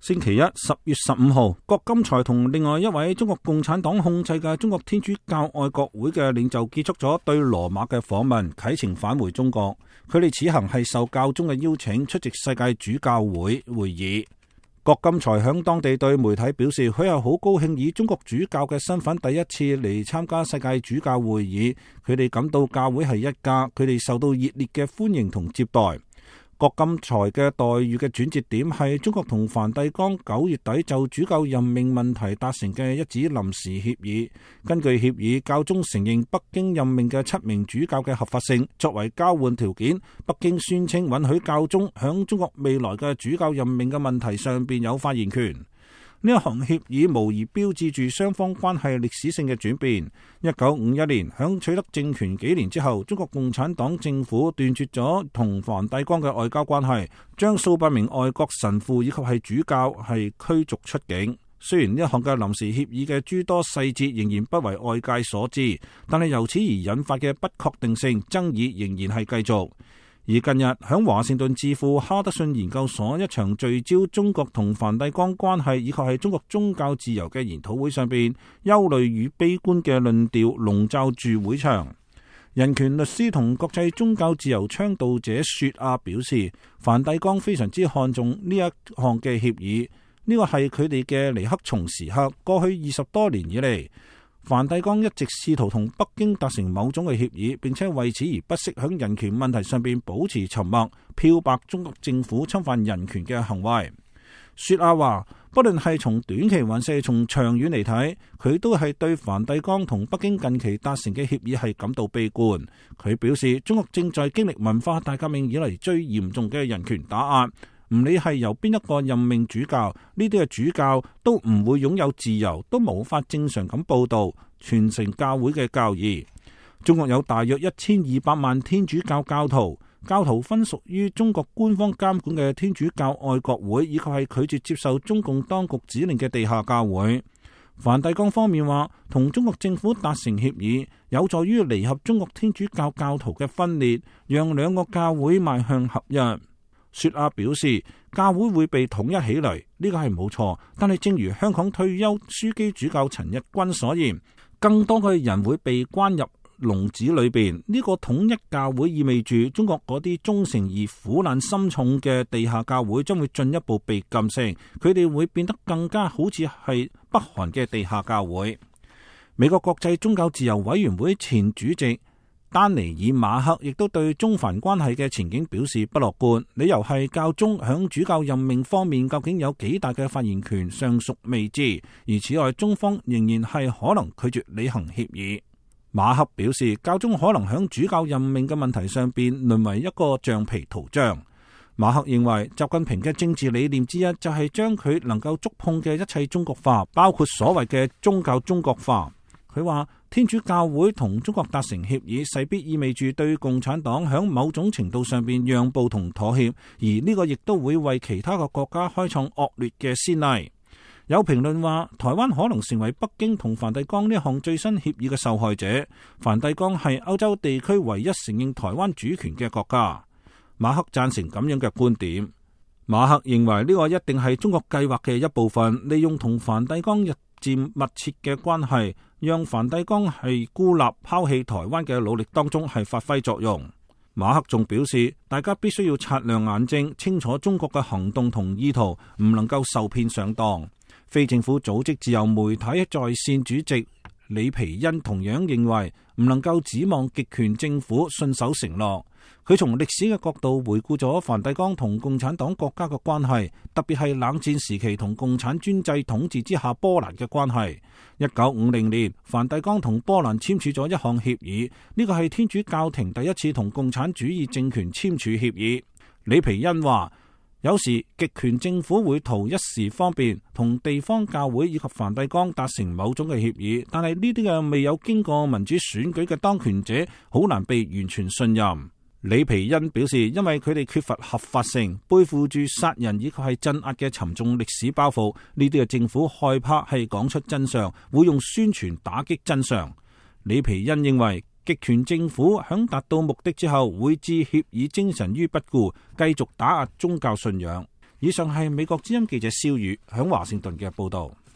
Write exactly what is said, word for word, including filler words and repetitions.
星期一十月十五號，郭金才同另外一位中國共產黨控制嘅中國天主教愛國會嘅領袖結束咗對羅馬嘅訪問，啟程返回中國。佢哋此行係受教宗嘅邀請出席世界主教會會議。郭金才響當地對媒體表示，佢係好高興以中國主教嘅身份第一次嚟參加世界主教會議。佢哋感到教會係一家，佢哋受到熱烈嘅歡迎同接待。郭金才嘅待遇嘅轉折點係中國同梵蒂岡九月底就主教任命問題達成嘅一紙臨時協議。根據協議，教宗承認北京任命嘅七名主教嘅合法性，作為交換條件，北京宣稱允許教宗響中國未來嘅主教任命嘅問題上邊有發言權。呢一項協議無疑標誌住雙方關係歷史性嘅轉變。一九五一年，響取得政權幾年之後，中國共產黨政府斷絕咗同梵蒂岡嘅外交關係，將數百名外國神父以及係主教係驅逐出境。雖然呢一項嘅臨時協議嘅諸多細節仍然不為外界所知，但係由此而引發嘅不確定性爭議仍然係繼續。而近日響華盛頓智庫哈德遜研究所一場聚焦中國同梵蒂岡關係以及係中國宗教自由嘅研討會上邊，憂慮與悲觀嘅論調籠罩住會場。人權律師同國際宗教自由倡導者雪亞表示，梵蒂岡非常之看重呢一項嘅協議，呢個係佢哋嘅尼克松時刻。過去二十多年以嚟，梵蒂岡一直試圖同北京達成某種嘅協議，並且為此而不惜響人權問題上邊保持沉默，漂白中國政府侵犯人權嘅行為。雪亞話，不論係從短期還是從長遠嚟睇，佢都係對梵蒂岡同北京近期達成嘅協議係感到悲觀。佢表示，中國正在經歷文化大革命以嚟最嚴重嘅人權打壓。唔理係由邊一個任命主教，呢啲嘅主教都唔會擁有自由，都無法正常咁報道、傳承教會嘅教義。中國有大約一千二百萬天主教教徒，教徒分屬於中國官方監管嘅天主教愛國會，以及係拒絕接受中共當局指令嘅地下教會。梵蒂岡方面話，同中國政府達成協議，有助於彌合中國天主教教徒嘅分裂，讓兩個教會邁向合一。雪亞表示，教會會被統一起嚟，呢個係冇錯。但係正如香港退休樞機主教陳日君所言，更多嘅人會被關入籠子裏邊。呢個統一教會意味住中國嗰啲忠誠而苦難深重嘅地下教會將會進一步被禁聲，佢哋會變得更加好似係北韓嘅地下教會。美國國際宗教自由委員會前主席丹尼爾馬克亦都對中梵關係嘅前景表示不樂觀，理由係教宗響主教任命方面究竟有幾大嘅發言權尚屬未知，而此外中方仍然係可能拒絕履行協議。馬克表示，教宗可能響主教任命嘅問題上邊淪為一個橡皮圖章。馬克認為習近平嘅政治理念之一就係將佢能夠觸碰嘅一切中國化，包括所謂嘅宗教中國化。佢話天主教會同中國達成協議，勢必意味住對共產黨響某種程度上邊讓步同妥協，而呢個亦都會為其他嘅國家開創惡劣嘅先例。有評論話，台灣可能成為北京同梵蒂岡呢項最新協議嘅受害者。梵蒂岡係歐洲地區唯一承認台灣主權嘅國家。馬克贊成咁樣嘅觀點。馬克認為呢個一定係中國計劃嘅一部分，利用同梵蒂岡日漸密切嘅關係，讓梵蒂岡係孤立拋棄台灣嘅努力當中係發揮作用。馬克仲表示，大家必須要擦亮眼睛，清楚中國嘅行動同意圖，唔能夠受騙上當。非政府組織自由媒體在線主席李皮恩同樣認為，唔能夠指望極權政府信守承諾。佢從歷史嘅角度回顧咗梵蒂岡同共產黨國家嘅關係，特別係冷戰時期同共產專制統治之下波蘭嘅關係。一九五零年，梵蒂岡同波蘭簽署咗一項協議，呢個係天主教廷第一次同共產主義政權簽署協議。李皮恩話，有時極權政府會圖一時方便，同地方教會以及梵蒂岡達成某種嘅協議，但係呢啲嘅未有經過民主選舉嘅當權者，好難被完全信任。李皮恩表示，因為佢哋缺乏合法性，背負住殺人以及係鎮壓嘅沉重歷史包袱，呢啲嘅政府害怕係講出真相，會用宣傳打擊真相。李皮恩認為，極權政府響達到目的之後，會置協議精神於不顧，繼續打壓宗教信仰。以上係美國之音記者蕭宇響華盛頓嘅報道。